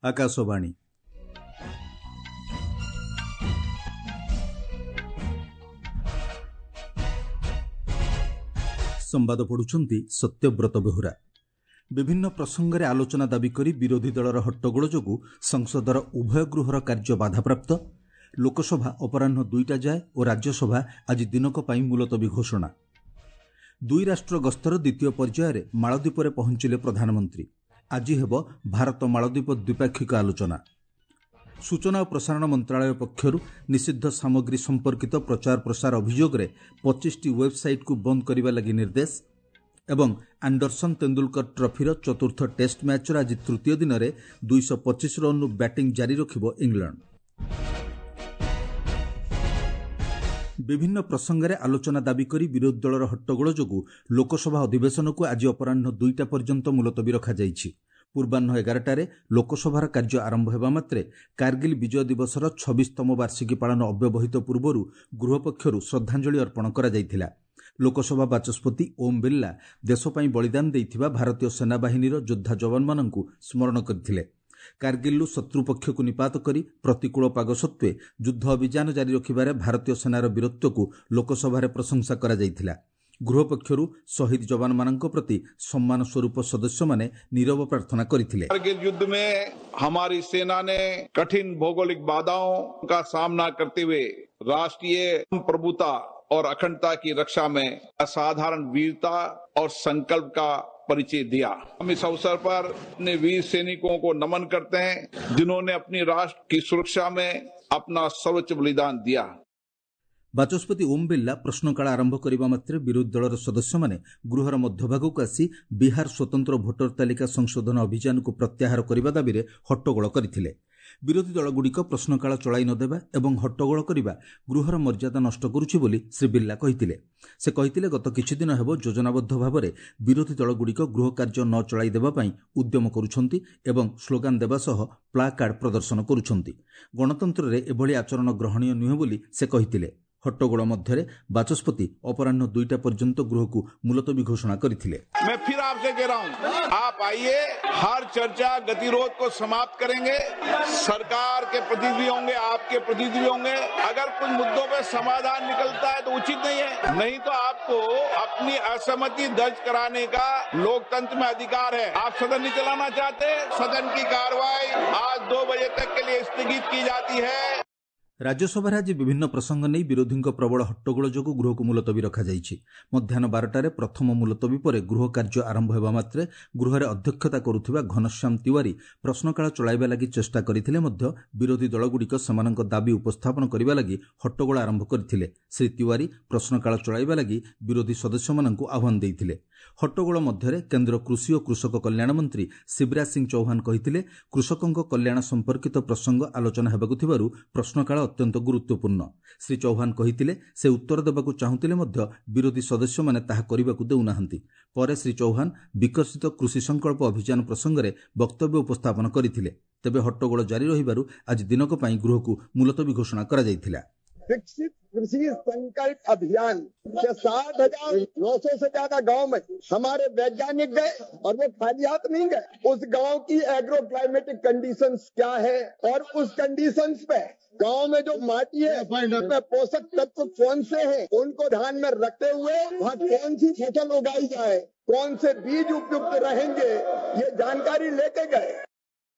ଆକାଶବାଣୀ। ସମ୍ବାଦ ପଢୁଛନ୍ତି ସତ୍ୟବ୍ରତ ବେହୁରା। ବିଭିନ୍ନ ପ୍ରସଙ୍ଗରେ ଆଲୋଚନା ଦାବି କରି ବିରୋଧୀ ଦଳର ହଟ୍ଟଗୋଳ ଯୋଗୁଁ ସଂସଦର ଉଭୟ ଗୃହର କାର୍ଯ୍ୟ ବାଧାପ୍ରାପ୍ତ। ଲୋକସଭା ଅପରାହ୍ନ 2ଟା ଯାଏ ଓ ରାଜ୍ୟସଭା ଆଜି ଦିନକ ପାଇଁ ମୁଲତବୀ ଘୋଷଣା। ଦୁଇ ରାଷ୍ଟ୍ର ଗସ୍ତର ଦ୍ୱିତୀୟ ପର୍ଯ୍ୟାୟରେ ମାଳଦ୍ୱୀପରେ ପହଞ୍ଚିଲେ ପ୍ରଧାନମନ୍ତ୍ରୀ। ଆଜି ହେବ ଭାରତ ମାଳଦ୍ୱୀପ ଦ୍ୱିପାକ୍ଷିକ ଆଲୋଚନା। ସୂଚନା ଓ ପ୍ରସାରଣ ମନ୍ତ୍ରଣାଳୟ ପକ୍ଷରୁ ନିଷିଦ୍ଧ ସାମଗ୍ରୀ ସମ୍ପର୍କିତ ପ୍ରଚାର ପ୍ରସାର ଅଭିଯୋଗରେ 25ଟି ୱେବ୍ସାଇଟ୍କୁ ବନ୍ଦ କରିବା ଲାଗି ନିର୍ଦ୍ଦେଶ। ଏବଂ ଆଣ୍ଡରସନ୍ ତେନ୍ଦୁଲକର ଟ୍ରଫିର ଚତୁର୍ଥ ଟେଷ୍ଟ ମ୍ୟାଚ୍ର ଆଜି ତୃତୀୟ ଦିନରେ 225 ରନ୍ରୁ ବ୍ୟାଟିଂ ଜାରି ରଖିବ ଇଂଲଣ୍ଡ। ବିଭିନ୍ନ ପ୍ରସଙ୍ଗରେ ଆଲୋଚନା ଦାବି କରି ବିରୋଧୀ ଦଳର ହଟ୍ଟଗୋଳ ଯୋଗୁଁ ଲୋକସଭା ଅଧିବେଶନକୁ ଆଜି ଅପରାହ୍ନ 2ଟା ପର୍ଯ୍ୟନ୍ତ ମୁଲତବୀ ରଖାଯାଇଛି। ପୂର୍ବାହ୍ନ 11ଟାରେ ଲୋକସଭାର କାର୍ଯ୍ୟ ଆରମ୍ଭ ହେବା ମାତ୍ରେ କାର୍ଗିଲ ବିଜୟ ଦିବସର 26ତମ ବାର୍ଷିକୀ ପାଳନ ଅବ୍ୟବହିତ ପୂର୍ବରୁ ଗୃହ ପକ୍ଷରୁ ଶ୍ରଦ୍ଧାଞ୍ଜଳି ଅର୍ପଣ କରାଯାଇଥିଲା। ଲୋକସଭା ବାଚସ୍ପତି ଓମ୍ ବିର୍ଲା ଦେଶ ପାଇଁ ବଳିଦାନ ଦେଇଥିବା ଭାରତୀୟ ସେନାବାହିନୀର ଯୋଦ୍ଧା ଯବାନମାନଙ୍କୁ ସ୍ମରଣ କରିଥିଲେ। କାର୍ଗିଲରୁ ଶତ୍ରୁପକ୍ଷକୁ ନିପାତ କରି ପ୍ରତିକୂଳ ପାଗ ସତ୍ତ୍ୱେ ଯୁଦ୍ଧ ଅଭିଯାନ ଜାରି ରଖିବାରେ ଭାରତୀୟ ସେନାର ବୀରତ୍ୱକୁ ଲୋକସଭାରେ ପ୍ରଶଂସା କରାଯାଇଥିଲା। ଗୃହ ପକ୍ଷରୁ ଶହୀଦ ଯବାନମାନଙ୍କ ପ୍ରତି ସମ୍ମାନ ସ୍ୱରୂପ ସଦସ୍ୟମାନେ ନୀରବ ପ୍ରାର୍ଥନା କରିଥିଲେ। कारगिल युद्ध में हमारी सेना ने कठिन भौगोलिक बाधाओं का सामना करते हुए राष्ट्रीय प्रभुता और अखंडता की रक्षा में असाधारण वीरता और संकल्प का परिचय दिया। हम इस अवसर पर अपने वीर सैनिकों को नमन करते हैं, जिन्होंने अपनी राष्ट्र की सुरक्षा में अपना सर्वोच्च बलिदान दिया। ବାଚସ୍ପତି ଓମ୍ ବିର୍ଲା ପ୍ରଶ୍ନକାଳ ଆରମ୍ଭ କରିବା ମାତ୍ରେ ବିରୋଧୀ ଦଳର ସଦସ୍ୟମାନେ ଗୃହର ମଧ୍ୟଭାଗକୁ ଆସି ବିହାର ସ୍ୱତନ୍ତ୍ର ଭୋଟର ତାଲିକା ସଂଶୋଧନ ଅଭିଯାନକୁ ପ୍ରତ୍ୟାହାର କରିବା ଦାବିରେ ହଟ୍ଟଗୋଳ କରିଥିଲେ। ବିରୋଧୀ ଦଳଗୁଡ଼ିକ ପ୍ରଶ୍ନକାଳ ଚଳାଇ ନ ଦେବା ଏବଂ ହଟ୍ଟଗୋଳ କରିବା ଗୃହର ମର୍ଯ୍ୟାଦା ନଷ୍ଟ କରୁଛି ବୋଲି ଶ୍ରୀ ବିର୍ଲା କହିଥିଲେ। ସେ କହିଥିଲେ, ଗତ କିଛିଦିନ ହେବ ଯୋଜନାବଦ୍ଧ ଭାବରେ ବିରୋଧୀ ଦଳଗୁଡ଼ିକ ଗୃହ କାର୍ଯ୍ୟ ନ ଚଳାଇ ଦେବା ପାଇଁ ଉଦ୍ୟମ କରୁଛନ୍ତି ଏବଂ ସ୍ଲୋଗାନ ଦେବା ସହ ପ୍ଲାକାର୍ଡ ପ୍ରଦର୍ଶନ କରୁଛନ୍ତି। ଗଣତନ୍ତ୍ରରେ ଏଭଳି ଆଚରଣ ଗ୍ରହଣୀୟ ନୁହେଁ ବୋଲି ସେ କହିଥିଲେ। ହଟ୍ଟଗୋଳ ମଧ୍ୟରେ ବାଚସ୍ପତି ଅପରାହ୍ନ 2ଟା ପର୍ଯ୍ୟନ୍ତ ଗୃହକୁ ମୁଲତବୀ ଘୋଷଣା କରିଥିଲେ। मैं फिर आपसे कह रहा हूं, आप आइए, हर चर्चा गतिरोध को समाप्त करेंगे। सरकार के प्रतिनिधि होंगे, आपके प्रतिनिधि होंगे। अगर कुछ मुद्दों पे समाधान निकलता है तो उचित नहीं है, नहीं तो आपको अपनी असहमति दर्ज कराने का लोकतंत्र में अधिकार है। आप सदन नहीं चलाना चाहते, सदन की कार्रवाई आज 2 बजे तक के लिए स्थगित की जाती है। ରାଜ୍ୟସଭାରେ ଆଜି ବିଭିନ୍ନ ପ୍ରସଙ୍ଗ ନେଇ ବିରୋଧୀଙ୍କ ପ୍ରବଳ ହଟ୍ଟଗୋଳ ଯୋଗୁଁ ଗୃହକୁ ମୁଲତବୀ ରଖାଯାଇଛି। ମଧ୍ୟାହ୍ନ 12ଟାରେ ପ୍ରଥମ ମୁଲତବୀ ପରେ ଗୃହ କାର୍ଯ୍ୟ ଆରମ୍ଭ ହେବା ମାତ୍ରେ ଗୃହରେ ଅଧ୍ୟକ୍ଷତା କରୁଥିବା ଘନଶ୍ୟାମ ତିୱାରୀ ପ୍ରଶ୍ନକାଳ ଚଳାଇବା ଲାଗି ଚେଷ୍ଟା କରିଥିଲେ ମଧ୍ୟ ବିରୋଧୀ ଦଳଗୁଡ଼ିକ ସେମାନଙ୍କ ଦାବି ଉପସ୍ଥାପନ କରିବା ଲାଗି ହଟ୍ଟଗୋଳ ଆରମ୍ଭ କରିଥିଲେ। ଶ୍ରୀ ତିୱାରୀ ପ୍ରଶ୍ନକାଳ ଚଳାଇବା ଲାଗି ବିରୋଧୀ ସଦସ୍ୟମାନଙ୍କୁ ଆହ୍ୱାନ ଦେଇଥିଲେ। ହଟ୍ଟଗୋଳ ମଧ୍ୟରେ କେନ୍ଦ୍ର କୃଷି ଓ କୃଷକ କଲ୍ୟାଣ ମନ୍ତ୍ରୀ ଶିବରାଜ ସିଂ ଚୌହାନ କହିଥିଲେ, କୃଷକଙ୍କ କଲ୍ୟାଣ ସମ୍ପର୍କିତ ପ୍ରସଙ୍ଗ ଆଲୋଚନା ହେବାକୁ ଥିବାରୁ ପ୍ରଶ୍ନକାଳ ଅତ୍ୟନ୍ତ ଗୁରୁତ୍ୱପୂର୍ଣ୍ଣ। ଶ୍ରୀ ଚୌହାନ କହିଥିଲେ, ସେ ଉତ୍ତର ଦେବାକୁ ଚାହୁଁଥିଲେ ମଧ୍ୟ ବିରୋଧୀ ସଦସ୍ୟମାନେ ତାହା କରିବାକୁ ଦେଉନାହାନ୍ତି। ପରେ ଶ୍ରୀ ଚୌହାନ ବିକଶିତ କୃଷି ସଂକଳ୍ପ ଅଭିଯାନ ପ୍ରସଙ୍ଗରେ ବକ୍ତବ୍ୟ ଉପସ୍ଥାପନ କରିଥିଲେ। ତେବେ ହଟ୍ଟଗୋଳ ଜାରି ରହିବାରୁ ଆଜି ଦିନକ ପାଇଁ ଗୃହକୁ ମୁଲତବୀ ଘୋଷଣା କରାଯାଇଥିଲା। विकसित कृषि संकल्प अभियान के 7,900 से ज्यादा गांव में हमारे वैज्ञानिक गए और वो खाली हाथ नहीं गए। उस गांव की एग्रो क्लाइमेटिक कंडीशंस क्या है और उस कंडीशंस पे गांव में जो माटी है उसमें पोषक तत्व कौन से हैं, उनको ध्यान में रखते हुए वहाँ कौन सी फसल उगाई जाए, कौन से बीज उपयुक्त रहेंगे, ये जानकारी लेके गए।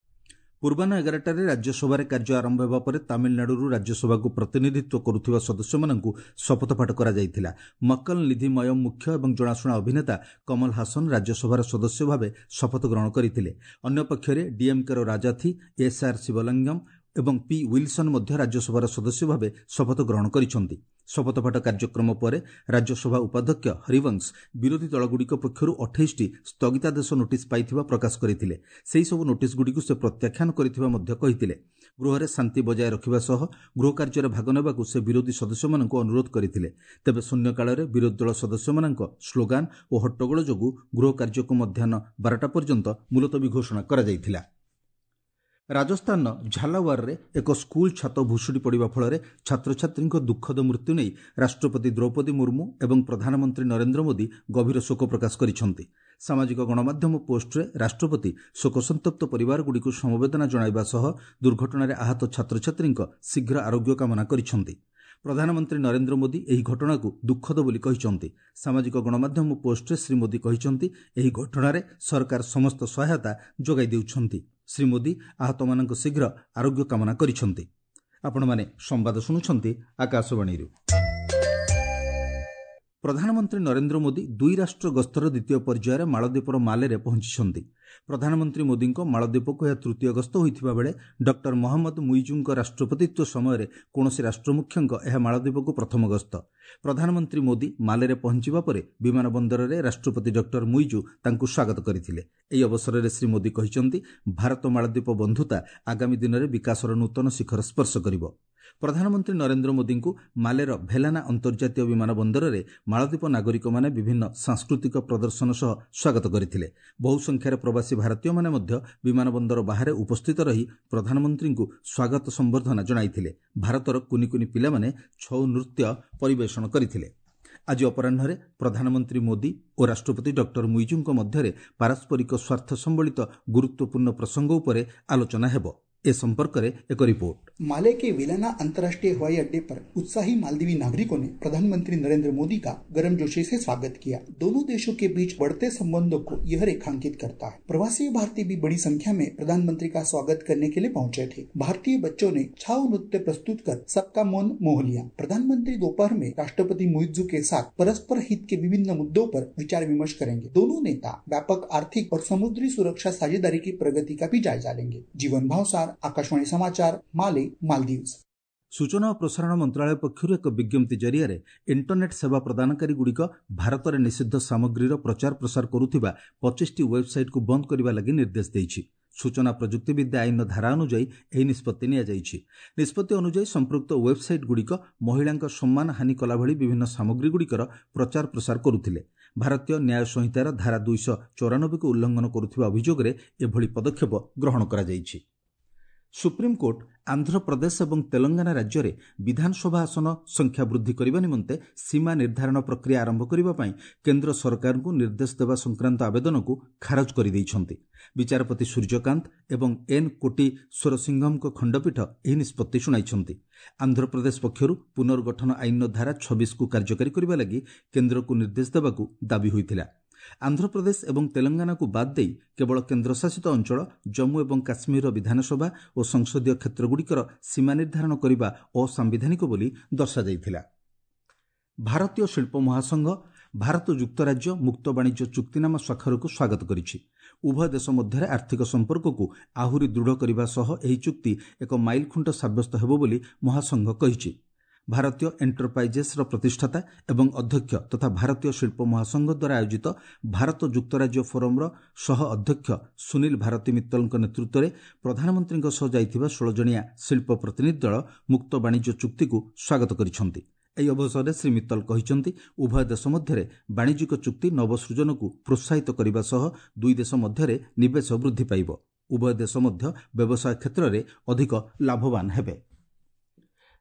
ପୂର୍ବାହ୍ନ 11ଟାରେ ରାଜ୍ୟସଭାରେ କାର୍ଯ୍ୟ ଆରମ୍ଭ ହେବା ପରେ ତାମିଲନାଡୁରୁ ରାଜ୍ୟସଭାକୁ ପ୍ରତିନିଧିତ୍ୱ କରୁଥିବା ସଦସ୍ୟମାନଙ୍କୁ ଶପଥପାଠ କରାଯାଇଥିଲା। ମକ୍କଲ ନିଧି ମୟମ ମୁଖ୍ୟ ଏବଂ ଜଣାଶୁଣା ଅଭିନେତା କମଲ ହାସନ ରାଜ୍ୟସଭାର ସଦସ୍ୟ ଭାବେ ଶପଥ ଗ୍ରହଣ କରିଥିଲେ। ଅନ୍ୟପକ୍ଷରେ ଡିଏମ୍କେର ରାଜାଥି, ଏସ୍ଆର୍ ଶିବଲିଙ୍ଗମ୍ ଏବଂ ପି ୱିଲସନ୍ ମଧ୍ୟ ରାଜ୍ୟସଭାର ସଦସ୍ୟ ଭାବେ ଶପଥ ଗ୍ରହଣ କରିଛନ୍ତି। ଶପଥପାଠ କାର୍ଯ୍ୟକ୍ରମ ପରେ ରାଜ୍ୟସଭା ଉପାଧ୍ୟକ୍ଷ ହରିବଂଶ ବିରୋଧୀ ଦଳଗୁଡ଼ିକ ପକ୍ଷରୁ 28ଟି ସ୍ଥଗିତାଦେଶ ନୋଟିସ୍ ପାଇଥିବା ପ୍ରକାଶ କରିଥିଲେ। ସେହିସବୁ ନୋଟିସ୍ଗୁଡ଼ିକୁ ସେ ପ୍ରତ୍ୟାଖ୍ୟାନ କରିଥିବା ମଧ୍ୟ କହିଥିଲେ। ଗୃହରେ ଶାନ୍ତି ବଜାୟ ରଖିବା ସହ ଗୃହ କାର୍ଯ୍ୟରେ ଭାଗ ନେବାକୁ ସେ ବିରୋଧୀ ସଦସ୍ୟମାନଙ୍କୁ ଅନୁରୋଧ କରିଥିଲେ। ତେବେ ଶୂନ୍ୟକାଳରେ ବିରୋଧୀ ଦଳ ସଦସ୍ୟମାନଙ୍କ ସ୍ଲୋଗାନ ଓ ହଟ୍ଟଗୋଳ ଯୋଗୁଁ ଗୃହ କାର୍ଯ୍ୟକୁ ମଧ୍ୟାହ୍ନ 12ଟା ପର୍ଯ୍ୟନ୍ତ ମୁଲତବୀ ଘୋଷଣା କରାଯାଇଥିଲା। ରାଜସ୍ଥାନର ଝାଲାୱାରରେ ଏକ ସ୍କୁଲ ଛାତ ଭୁଶୁଡ଼ି ପଡ଼ିବା ଫଳରେ ଛାତ୍ରଛାତ୍ରୀଙ୍କ ଦୁଃଖଦ ମୃତ୍ୟୁ ନେଇ ରାଷ୍ଟ୍ରପତି ଦ୍ରୌପଦୀ ମୁର୍ମୁ ଏବଂ ପ୍ରଧାନମନ୍ତ୍ରୀ ନରେନ୍ଦ୍ର ମୋଦି ଗଭୀର ଶୋକ ପ୍ରକାଶ କରିଛନ୍ତି। ସାମାଜିକ ଗଣମାଧ୍ୟମ ପୋଷ୍ଟରେ ରାଷ୍ଟ୍ରପତି ଶୋକସନ୍ତପ୍ତ ପରିବାରଗୁଡ଼ିକୁ ସମବେଦନା ଜଣାଇବା ସହ ଦୁର୍ଘଟଣାରେ ଆହତ ଛାତ୍ରଛାତ୍ରୀଙ୍କ ଶୀଘ୍ର ଆରୋଗ୍ୟ କାମନା କରିଛନ୍ତି। ପ୍ରଧାନମନ୍ତ୍ରୀ ନରେନ୍ଦ୍ର ମୋଦି ଏହି ଘଟଣାକୁ ଦୁଃଖଦ ବୋଲି କହିଛନ୍ତି। ସାମାଜିକ ଗଣମାଧ୍ୟମ ପୋଷ୍ଟରେ ଶ୍ରୀ ମୋଦି କହିଛନ୍ତି, ଏହି ଘଟଣାରେ ସରକାର ସମସ୍ତ ସହାୟତା ଯୋଗାଇ ଦେଉଛନ୍ତି। ଶ୍ରୀ ମୋଦି ଆହତମାନଙ୍କ ଶୀଘ୍ର ଆରୋଗ୍ୟ କାମନା କରିଛନ୍ତି। ଆପଣମାନେ ସମ୍ବାଦ ଶୁଣୁଛନ୍ତି ଆକାଶବାଣୀରୁ। ପ୍ରଧାନମନ୍ତ୍ରୀ ନରେନ୍ଦ୍ର ମୋଦି ଦୁଇ ରାଷ୍ଟ୍ର ଗସ୍ତର ଦ୍ୱିତୀୟ ପର୍ଯ୍ୟାୟରେ ମାଳଦ୍ୱୀପର ମାଲେରେ ପହଞ୍ଚିଛନ୍ତି। ପ୍ରଧାନମନ୍ତ୍ରୀ ମୋଦିଙ୍କ ମାଳଦ୍ୱୀପକୁ ଏହା ତୃତୀୟ ଗସ୍ତ ହୋଇଥିବା ବେଳେ ଡକ୍ଟର ମହମ୍ମଦ ମୁଇଜୁଙ୍କ ରାଷ୍ଟ୍ରପତିତ୍ୱ ସମୟରେ କୌଣସି ରାଷ୍ଟ୍ରମୁଖ୍ୟଙ୍କ ଏହା ମାଳଦ୍ୱୀପକୁ ପ୍ରଥମ ଗସ୍ତ। ପ୍ରଧାନମନ୍ତ୍ରୀ ମୋଦି ମାଲେରେ ପହଞ୍ଚିବା ପରେ ବିମାନ ବନ୍ଦରରେ ରାଷ୍ଟ୍ରପତି ଡକ୍ଟର ମୁଇଜୁ ତାଙ୍କୁ ସ୍ୱାଗତ କରିଥିଲେ। ଏହି ଅବସରରେ ଶ୍ରୀ ମୋଦି କହିଛନ୍ତି, ଭାରତ ମାଳଦ୍ୱୀପ ବନ୍ଧୁତା ଆଗାମୀ ଦିନରେ ବିକାଶର ନୂତନ ଶିଖର ସ୍ପର୍ଶ କରିବ। ପ୍ରଧାନମନ୍ତ୍ରୀ ନରେନ୍ଦ୍ର ମୋଦିଙ୍କୁ ମାଲେର ଭେଲାନା ଅନ୍ତର୍ଜାତୀୟ ବିମାନ ବନ୍ଦରରେ ମାଳଦ୍ୱୀପ ନାଗରିକମାନେ ବିଭିନ୍ନ ସାଂସ୍କୃତିକ ପ୍ରଦର୍ଶନ ସହ ସ୍ୱାଗତ କରିଥିଲେ। ବହୁ ସଂଖ୍ୟାରେ ପ୍ରବାସୀ ଭାରତୀୟମାନେ ମଧ୍ୟ ବିମାନ ବନ୍ଦର ବାହାରେ ଉପସ୍ଥିତ ରହି ପ୍ରଧାନମନ୍ତ୍ରୀଙ୍କୁ ସ୍ୱାଗତ ସମ୍ବର୍ଦ୍ଧନା ଜଣାଇଥିଲେ। ଭାରତର କୁନି କୁନି ପିଲାମାନେ ଛଉ ନୃତ୍ୟ ପରିବେଷଣ କରିଥିଲେ। ଆଜି ଅପରାହ୍ନରେ ପ୍ରଧାନମନ୍ତ୍ରୀ ମୋଦି ଓ ରାଷ୍ଟ୍ରପତି ଡକ୍ଟର ମୁଇଜୁଙ୍କ ମଧ୍ୟରେ ପାରସ୍ପରିକ ସ୍ୱାର୍ଥ ସମ୍ବଳିତ ଗୁରୁତ୍ୱପୂର୍ଣ୍ଣ ପ୍ରସଙ୍ଗ ଉପରେ ଆଲୋଚନା ହେବ। ए संपर्क एक रिपोर्ट। माले के वेलाना अंतर्राष्ट्रीय हवाई अड्डे पर उत्साही मालदीवी नागरिकों ने प्रधानमंत्री नरेंद्र मोदी का गर्मजोशी से स्वागत किया। दोनों देशों के बीच बढ़ते संबंधों को यह रेखांकित करता है। प्रवासी भारतीय भी बड़ी संख्या में प्रधानमंत्री का स्वागत करने के लिए पहुंचे थे। भारतीय बच्चों ने छाऊ नृत्य प्रस्तुत कर सबका मन मोह लिया। प्रधानमंत्री दोपहर में राष्ट्रपति मुइज्जू के साथ परस्पर हित के विभिन्न मुद्दों पर विचार विमर्श करेंगे। दोनों नेता व्यापक आर्थिक और समुद्री सुरक्षा साझेदारी की प्रगति का भी जायजा लेंगे। जीवन भावसार, आकाशवाणी समाचार, माले, मालदीव्स। ସୂଚନା ଓ ପ୍ରସାରଣ ମନ୍ତ୍ରଣାଳୟ ପକ୍ଷରୁ ଏକ ବିଜ୍ଞପ୍ତି ଜରିଆରେ ଇଣ୍ଟରନେଟ୍ ସେବା ପ୍ରଦାନକାରୀଗୁଡ଼ିକ ଭାରତରେ ନିଷିଦ୍ଧ ସାମଗ୍ରୀର ପ୍ରଚାର ପ୍ରସାର କରୁଥିବା 25ଟି ୱେବ୍ସାଇଟ୍କୁ ବନ୍ଦ କରିବା ଲାଗି ନିର୍ଦ୍ଦେଶ ଦେଇଛି। ସୂଚନା ପ୍ରଯୁକ୍ତିବିଦ୍ୟା ଆଇନର ଧାରା ଅନୁଯାୟୀ ଏହି ନିଷ୍ପତ୍ତି ନିଆଯାଇଛି। ନିଷ୍ପତ୍ତି ଅନୁଯାୟୀ ସମ୍ପୃକ୍ତ ୱେବ୍ସାଇଟ୍ଗୁଡ଼ିକ ମହିଳାଙ୍କ ସମ୍ମାନ ହାନି କଲାଭଳି ବିଭିନ୍ନ ସାମଗ୍ରୀଗୁଡ଼ିକର ପ୍ରଚାର ପ୍ରସାର କରୁଥିଲେ। ଭାରତୀୟ ନ୍ୟାୟ ସଂହିତାର ଧାରା 294କୁ ଉଲ୍ଲଂଘନ କରୁଥିବା ଅଭିଯୋଗରେ ଏଭଳି ପଦକ୍ଷେପ ଗ୍ରହଣ କରାଯାଇଛି। ସୁପ୍ରିମକୋର୍ଟ ଆନ୍ଧ୍ରପ୍ରଦେଶ ଏବଂ ତେଲଙ୍ଗାନା ରାଜ୍ୟରେ ବିଧାନସଭା ଆସନ ସଂଖ୍ୟା ବୃଦ୍ଧି କରିବା ନିମନ୍ତେ ସୀମା ନିର୍ଦ୍ଧାରଣ ପ୍ରକ୍ରିୟା ଆରମ୍ଭ କରିବା ପାଇଁ କେନ୍ଦ୍ର ସରକାରଙ୍କୁ ନିର୍ଦ୍ଦେଶ ଦେବା ସଂକ୍ରାନ୍ତ ଆବେଦନକୁ ଖାରଜ କରିଦେଇଛନ୍ତି। ବିଚାରପତି ସୂର୍ଯ୍ୟକାନ୍ତ ଏବଂ ଏନ୍ କୋଟିଶ୍ୱରସିଂହଙ୍କ ଖଣ୍ଡପୀଠ ଏହି ନିଷ୍ପତ୍ତି ଶୁଣାଇଛନ୍ତି। ଆନ୍ଧ୍ରପ୍ରଦେଶ ପକ୍ଷରୁ ପୁନର୍ଗଠନ ଆଇନର ଧାରା 26କୁ କାର୍ଯ୍ୟକାରୀ କରିବା ଲାଗି କେନ୍ଦ୍ରକୁ ନିର୍ଦ୍ଦେଶ ଦେବାକୁ ଦାବି ହୋଇଥିଲା। ଆନ୍ଧ୍ରପ୍ରଦେଶ ଏବଂ ତେଲଙ୍ଗାନାକୁ ବାଦ୍ ଦେଇ କେବଳ କେନ୍ଦ୍ରଶାସିତ ଅଞ୍ଚଳ ଜମ୍ମୁ ଏବଂ କାଶ୍ମୀରର ବିଧାନସଭା ଓ ସଂସଦୀୟ କ୍ଷେତ୍ରଗୁଡ଼ିକର ସୀମା ନିର୍ଦ୍ଧାରଣ କରିବା ଅସାମ୍ବିଧାନିକ ବୋଲି ଦର୍ଶାଯାଇଥିଲା। ଭାରତୀୟ ଶିଳ୍ପ ମହାସଂଘ ଭାରତ ଯୁକ୍ତରାଜ୍ୟ ମୁକ୍ତ ବାଣିଜ୍ୟ ଚୁକ୍ତିନାମା ସ୍ୱାକ୍ଷରକୁ ସ୍ୱାଗତ କରିଛି। ଉଭୟ ଦେଶ ମଧ୍ୟରେ ଆର୍ଥିକ ସମ୍ପର୍କକୁ ଆହୁରି ଦୃଢ଼ କରିବା ସହ ଏହି ଚୁକ୍ତି ଏକ ମାଇଲଖୁଣ୍ଟ ସାବ୍ୟସ୍ତ ହେବ ବୋଲି ମହାସଂଘ କହିଛି। ଭାରତୀୟ ଏଣ୍ଟରପ୍ରାଇଜେସ୍ର ପ୍ରତିଷ୍ଠାତା ଏବଂ ଅଧ୍ୟକ୍ଷ ତଥା ଭାରତୀୟ ଶିଳ୍ପ ମହାସଂଘ ଦ୍ୱାରା ଆୟୋଜିତ ଭାରତ ଯୁକ୍ତରାଜ୍ୟ ଫୋରମ୍ର ସହ ଅଧ୍ୟକ୍ଷ ସୁନୀଲ ଭାରତୀ ମିତ୍ତଲଙ୍କ ନେତୃତ୍ୱରେ ପ୍ରଧାନମନ୍ତ୍ରୀଙ୍କ ସହ ଯାଇଥିବା 16 ଜଣିଆ ଶିଳ୍ପ ପ୍ରତିନିଧି ଦଳ ମୁକ୍ତ ବାଣିଜ୍ୟ ଚୁକ୍ତିକୁ ସ୍ୱାଗତ କରିଛନ୍ତି। ଏହି ଅବସରରେ ଶ୍ରୀ ମିତ୍ତଲ କହିଛନ୍ତି, ଉଭୟ ଦେଶ ମଧ୍ୟରେ ବାଣିଜ୍ୟିକ ଚୁକ୍ତି ନବସୃଜନକୁ ପ୍ରୋତ୍ସାହିତ କରିବା ସହ ଦୁଇ ଦେଶ ମଧ୍ୟରେ ନିବେଶ ବୃଦ୍ଧି ପାଇବ। ଉଭୟ ଦେଶ ମଧ୍ୟ ବ୍ୟବସାୟ କ୍ଷେତ୍ରରେ ଅଧିକ ଲାଭବାନ ହେବେ।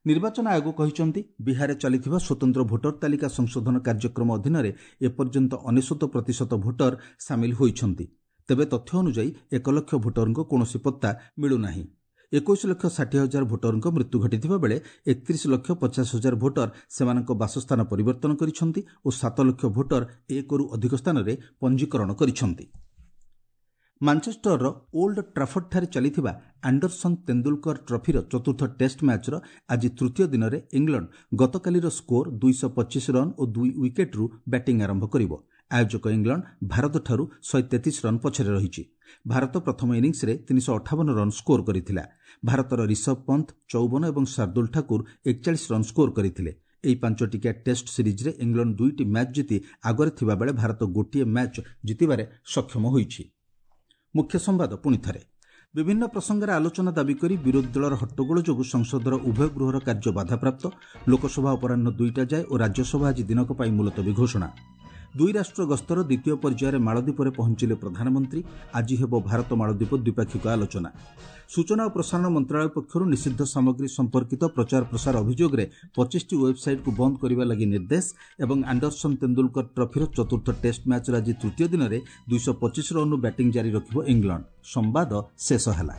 ନିର୍ବାଚନ ଆୟୋଗ କହିଛନ୍ତି, ବିହାରରେ ଚାଲିଥିବା ସ୍ୱତନ୍ତ୍ର ଭୋଟର ତାଲିକା ସଂଶୋଧନ କାର୍ଯ୍ୟକ୍ରମ ଅଧୀନରେ ଏପର୍ଯ୍ୟନ୍ତ 99% ଭୋଟର ସାମିଲ ହୋଇଛନ୍ତି। ତେବେ ତଥ୍ୟ ଅନୁଯାୟୀ 1 ଲକ୍ଷ ଭୋଟରଙ୍କ କୌଣସି ପତ୍ତା ମିଳୁନାହିଁ। 21,60,000 ଭୋଟରଙ୍କ ମୃତ୍ୟୁ ଘଟିଥିବା ବେଳେ 31,50,000 ଭୋଟର ସେମାନଙ୍କ ବାସସ୍ଥାନ ପରିବର୍ତ୍ତନ କରିଛନ୍ତି ଓ 7 ଲକ୍ଷ ଭୋଟର ଏକରୁ ଅଧିକ ସ୍ଥାନରେ ପଞ୍ଜୀକରଣ କରିଛନ୍ତି। ମାଞ୍ଚେଷ୍ଟରର ଓଲ୍ଡ ଟ୍ରାଫର୍ଡଠାରେ ଚାଲିଥିବା ଆଣ୍ଡରସନ୍ ତେନ୍ଦୁଲକର ଟ୍ରଫିର ଚତୁର୍ଥ ଟେଷ୍ଟ ମ୍ୟାଚ୍ର ଆଜି ତୃତୀୟ ଦିନରେ ଇଂଲଣ୍ଡ ଗତକାଲିର ସ୍କୋର 225 ରନ୍ ଓ 2 ୱିକେଟ୍ରୁ ବ୍ୟାଟିଂ ଆରମ୍ଭ କରିବ। ଆୟୋଜକ ଇଂଲଣ୍ଡ ଭାରତଠାରୁ 133 ରନ୍ ପଛରେ ରହିଛି। ଭାରତ ପ୍ରଥମ ଇନିଂସରେ 358 ରନ୍ ସ୍କୋର କରିଥିଲା। ଭାରତର ରିଷଭ ପନ୍ଥ 54 ଏବଂ ଶାର୍ଦ୍ଦୁଲ ଠାକୁର 41 ରନ୍ ସ୍କୋର କରିଥିଲେ। ଏହି 5 ଟିକିଆ ଟେଷ୍ଟ ସିରିଜ୍ରେ ଇଂଲଣ୍ଡ 2ଟି ମ୍ୟାଚ୍ ଜିତି ଆଗରେ ଥିବାବେଳେ ଭାରତ ଗୋଟିଏ ମ୍ୟାଚ୍ ଜିତିବାରେ ସକ୍ଷମ ହୋଇଛି। ମୁଖ୍ୟ ସମ୍ବାଦ ପୁଣି ଥରେ। ବିଭିନ୍ନ ପ୍ରସଙ୍ଗରେ ଆଲୋଚନା ଦାବି କରି ବିରୋଧୀ ଦଳର ହଟ୍ଟଗୋଳ ଯୋଗୁଁ ସଂସଦର ଉଭୟ ଗୃହର କାର୍ଯ୍ୟ ବାଧାପ୍ରାପ୍ତ। ଲୋକସଭା ଅପରାହ୍ନ 2ଟା ଯାଏ ଓ ରାଜ୍ୟସଭା ଆଜି ଦିନକ ପାଇଁ ମୁଲତବୀ ଘୋଷଣା। ଦୁଇ ରାଷ୍ଟ୍ର ଗସ୍ତର ଦ୍ୱିତୀୟ ପର୍ଯ୍ୟାୟରେ ମାଳଦ୍ୱୀପରେ ପହଞ୍ଚିଲେ ପ୍ରଧାନମନ୍ତ୍ରୀ। ଆଜି ହେବ ଭାରତ ମାଳଦ୍ୱୀପ ଦ୍ୱିପାକ୍ଷିକ ଆଲୋଚନା। ସୂଚନା ଓ ପ୍ରସାରଣ ମନ୍ତ୍ରଣାଳୟ ପକ୍ଷରୁ ନିଷିଦ୍ଧ ସାମଗ୍ରୀ ସମ୍ପର୍କିତ ପ୍ରଚାର ପ୍ରସାର ଅଭିଯୋଗରେ 25ଟି ୱେବ୍ସାଇଟ୍କୁ ବନ୍ଦ କରିବା ଲାଗି ନିର୍ଦ୍ଦେଶ। ଏବଂ ଆଣ୍ଡରସନ୍ ତେନ୍ଦୁଲକର ଟ୍ରଫିର ଚତୁର୍ଥ ଟେଷ୍ଟ ମ୍ୟାଚ୍ର ଆଜି ତୃତୀୟ ଦିନରେ 225 ରନ୍ରୁ ବ୍ୟାଟିଂ ଜାରି ରଖିବ ଇଂଲଣ୍ଡ। ସମ୍ବାଦ ଶେଷ ହେଲା।